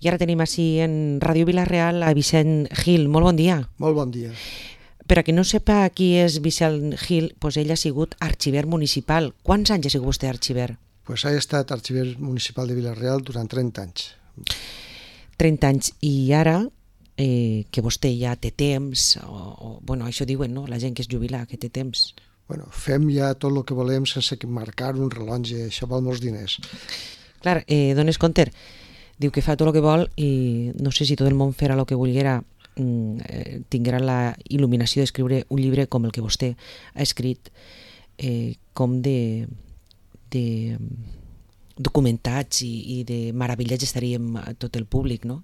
I ara tenim així en Ràdio Vila-real a Vicent Gil. Molt bon dia. Molt bon dia. Per a qui no sepa qui és Vicent Gil, doncs ell ha sigut arxiver municipal. Quants anys ha sigut vostè arxiver? Pues he estat arxiver municipal de Vila-real durant 30 anys. 30 anys. I ara, que vostè ja té temps, bueno, això diuen, no?, la gent que es jubila, que té temps. Bueno, fem ja tot el que volem sense marcar un rellotge, això val molts diners. Clar, dones compte, diu que fa tot el que vol i no sé si tot el món farà el que volguera, tinguera la il·luminació d'escriure un llibre com el que vostè ha escrit, com de documentats i de meravellats estaríem tot el públic, no?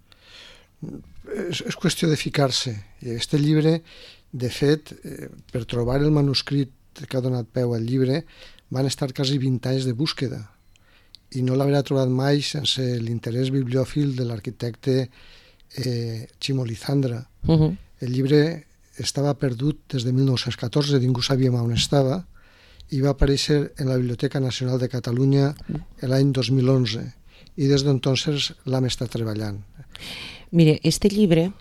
És qüestió de ficar-se. Este llibre, de fet, per trobar el manuscrit que ha donat peu al llibre, van estar quasi 20 anys de búsqueda i no l'haurà trobat mai sense l'interès bibliòfil de l'arquitecte Chimo Lizandra. El llibre estava perdut des de 1914, ningú sabíem on estava, i va aparèixer en la Biblioteca Nacional de Catalunya l'any 2011 i des d'entonces l'hem estat treballant. Mire, este llibre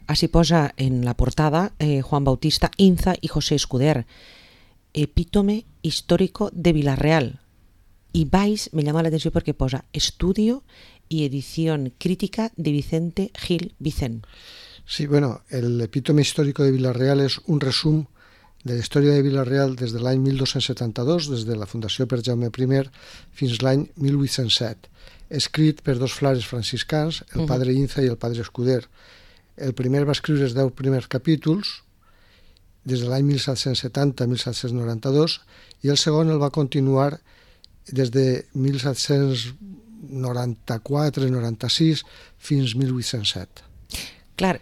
así posa en la portada Juan Bautista Inza y José Escuder, epítome histórico de Vila-real. Y vais, me llama la atención porque posa estudio y edición crítica de Vicente Gil Vicent. Sí, bueno, el epítome histórico de Vila-real és un resum de la història de Vila-real des de l'any 1272, des de la fundació per Jaume I, fins l'any 1807, escrit per dos frares franciscans, el padre Inza i el padre Escuder. El primer va escriure els 10 primers capítols, des de l'any 1770 a 1792, i el segon el va continuar des de 1794-96 fins 1807. Clar,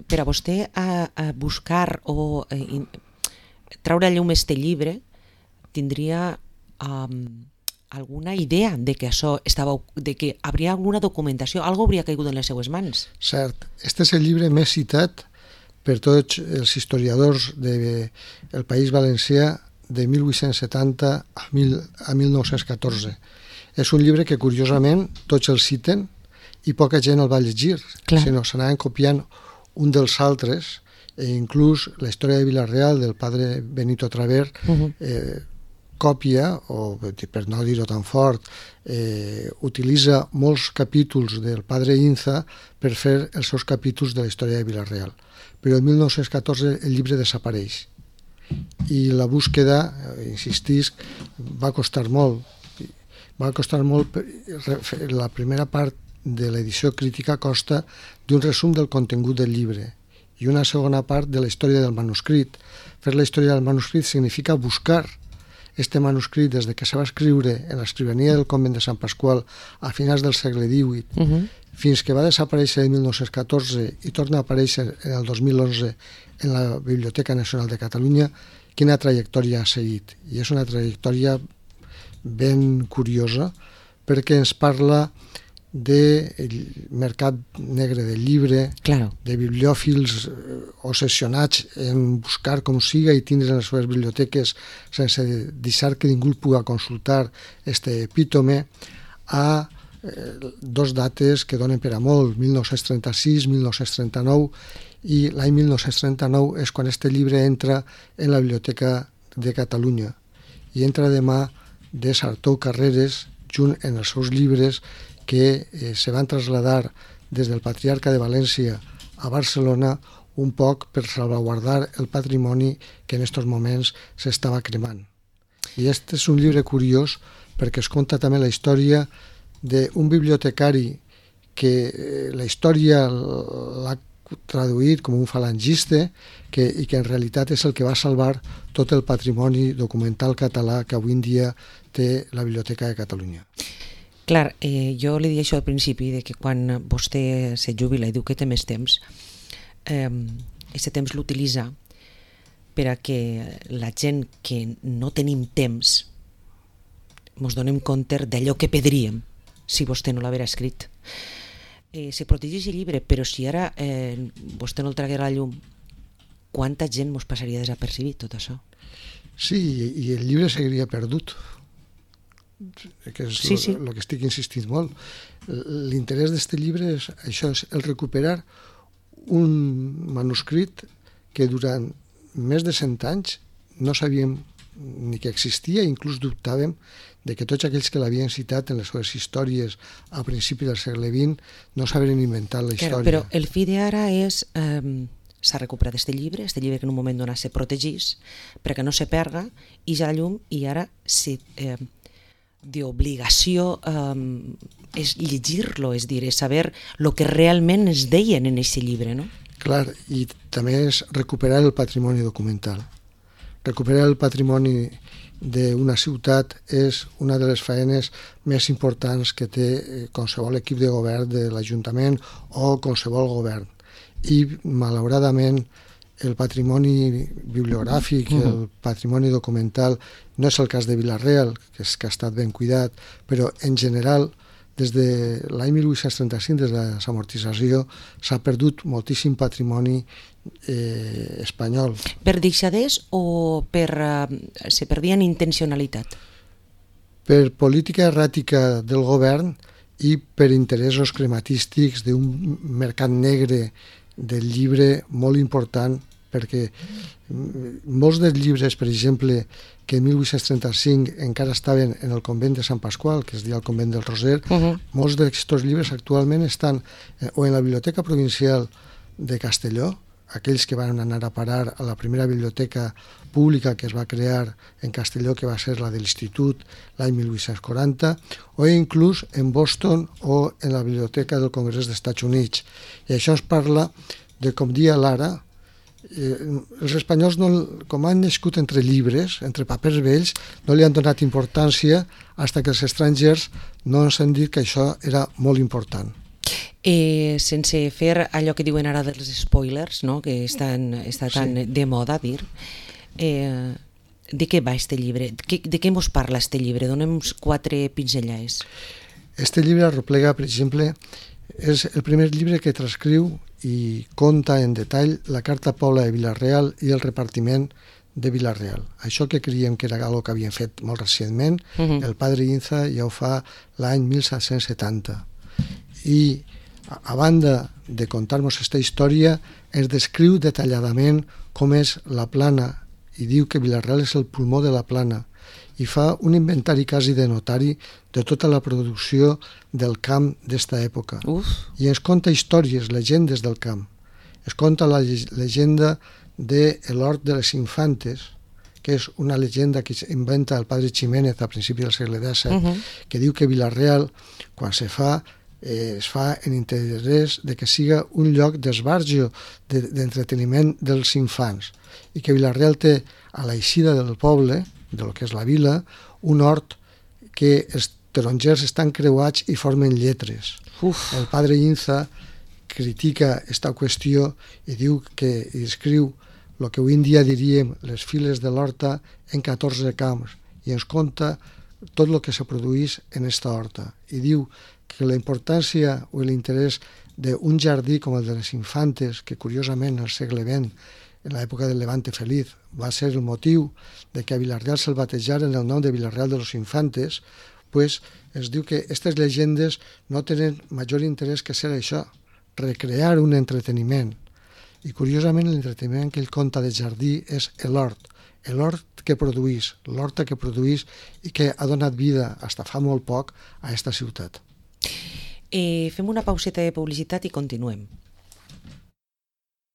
per a vostè a buscar o traure a llum este llibre tindria alguna idea de que això estava, de que hauria alguna documentació, algo hauria caigut en les seues mans. Cert, este és el llibre més citat per tots els historiadors del País Valencià de 1870 a 1914. És un llibre que, curiosament, tots el citen i poca gent el va llegir, sinó s'anaven copiant un dels altres, i inclús la història de Vila-real del padre Benito Traver còpia, o per no dir-ho tan fort, utilitza molts capítols del padre Inza per fer els seus capítols de la història de Vila-real. Però en 1914 el llibre desapareix i la búsqueda, insistisc, va costar molt. Va costar molt, la primera part de l'edició crítica consta d'un resum del contingut del llibre i una segona part de la història del manuscrit. Fer la història del manuscrit significa buscar este manuscrit des que se va escriure en l'escrivania del convent de Sant Pasqual a finals del segle XVIII fins que va desaparèixer en 1914 i torna a aparèixer en el 2011 en la Biblioteca Nacional de Catalunya, quina trajectòria ha seguit. I és una trajectòria ben curiosa perquè ens parla del mercat negre del llibre, de bibliòfils obsessionats en buscar com siga i tindre en les seves biblioteques sense deixar que ningú el pugui consultar este epítome, a dos dates que donen per a molt, 1936, 1939, i l'any 1939 és quan este llibre entra en la Biblioteca de Catalunya i entra de mà de Sartou Carreras junt en els seus llibres que se van traslladar des del Patriarca de València a Barcelona un poc per salvaguardar el patrimoni que en aquests moments s'estava cremant. I aquest és un llibre curiós perquè es conta també la història d'un bibliotecari que la història l'ha traduït com un falangista i que en realitat és el que va salvar tot el patrimoni documental català que avui en dia té la Biblioteca de Catalunya. Clar, jo li dic això al principi, de que quan vostè se jubila i diu que té més temps, aquest temps l'utilitza per a que la gent que no tenim temps ens donem compte d'allò que perdríem si vostè no l'haguera escrit. Se protegeix el llibre, però si ara vostè no el traguera a la llum, quanta gent ens passaria desapercibit tot això? Sí, i el llibre seguiria perdut. que és Sí, sí. el que estic insistint molt. L'interès d'aquest llibre és això, és el recuperar un manuscrit que durant més de 100 anys no sabíem ni que existia, inclús dubtàvem de que tots aquells que l'havien citat en les seves històries a principi del segle XX no s'havien inventat la història. Però el fi d'ara és... s'ha recuperat aquest llibre que en un moment donat se protegís perquè no se perga i ja la llum, i ara d'obligació és llegir-lo, és dir, és saber el que realment es deien en aquest llibre, no? Clar, i també és recuperar el patrimoni documental. Recuperar el patrimoni d'una ciutat és una de les feines més importants que té qualsevol equip de govern de l'Ajuntament o qualsevol govern. I, malauradament, el patrimoni bibliogràfic, el patrimoni documental, no és el cas de Vila-real, que ha estat ben cuidat, però en general, des de l'any 1835, des de la desamortització, s'ha perdut moltíssim patrimoni espanyol. Per deixadès o se perdia en intencionalitat? Per política erràtica del govern i per interessos crematístics d'un mercat negre del llibre molt important, perquè molts dels llibres, per exemple, que en 1835 encara estaven en el convent de Sant Pasqual, que es deia el convent del Roser, molts d'aquests llibres actualment estan o en la Biblioteca Provincial de Castelló, aquells que van anar a parar a la primera biblioteca pública que es va crear en Castelló, que va ser la de l'Institut l'any 1840, o inclús en Boston o en la Biblioteca del Congrés dels Estats Units. I això es parla de, com dia Lara, els espanyols, com han nascut entre llibres, entre papers vells, no li han donat importància fins que els estrangers no ens han dit que això era molt important. Sense fer allò que diuen ara dels spoilers, no? Que està tan de moda dir, de què va este llibre? De què ens parla este llibre? Donem-nos 4 pinzellades. Este llibre arroplega, per exemple, és el primer llibre que transcriu i conta en detall la Carta Pobla de Vila-real i el repartiment de Vila-real. Això que creiem que era algo que havien fet molt recentment, el padre Inza ja ho fa l'any 1770. I a banda de contar-nos aquesta història, es descriu detalladament com és la Plana i diu que Vila-real és el pulmó de la Plana i fa un inventari quasi de notari de tota la producció del camp d'esta època. I ens conta històries, llegendes del camp. Es conta la llegenda de l'Hort de les Infantes, que és una llegenda que inventa el padre Ximénez a principi del segle XVII, que diu que Vila-real, quan es fa en interès de que siga un lloc d'esbarjo, d'entreteniment dels infants, i que Vila-real té a l'eixida del poble, de lo que és la vila, un hort que els tarongers estan creuats i formen lletres. El padre Inza critica aquesta qüestió i diu que escriu el que avui en dia diríem les files de l'horta en 14 camps i ens conta tot el que se produís en aquesta horta. I diu que la importància o l'interès d'un jardí com el de les Infantes, que curiosament al segle XX, en l'època del Levante Feliz, va ser el motiu de que a Vila-real se'l batejaren el nom de Vila-real de los Infantes, pues es diu que aquestes llegendes no tenen major interès que ser això, recrear un entreteniment. I curiosament l'entreteniment que ell conta de jardí és l'hort que produís, l'horta que produís i que ha donat vida, fins fa molt poc, a aquesta ciutat. Fem una pauseta de publicitat i continuem.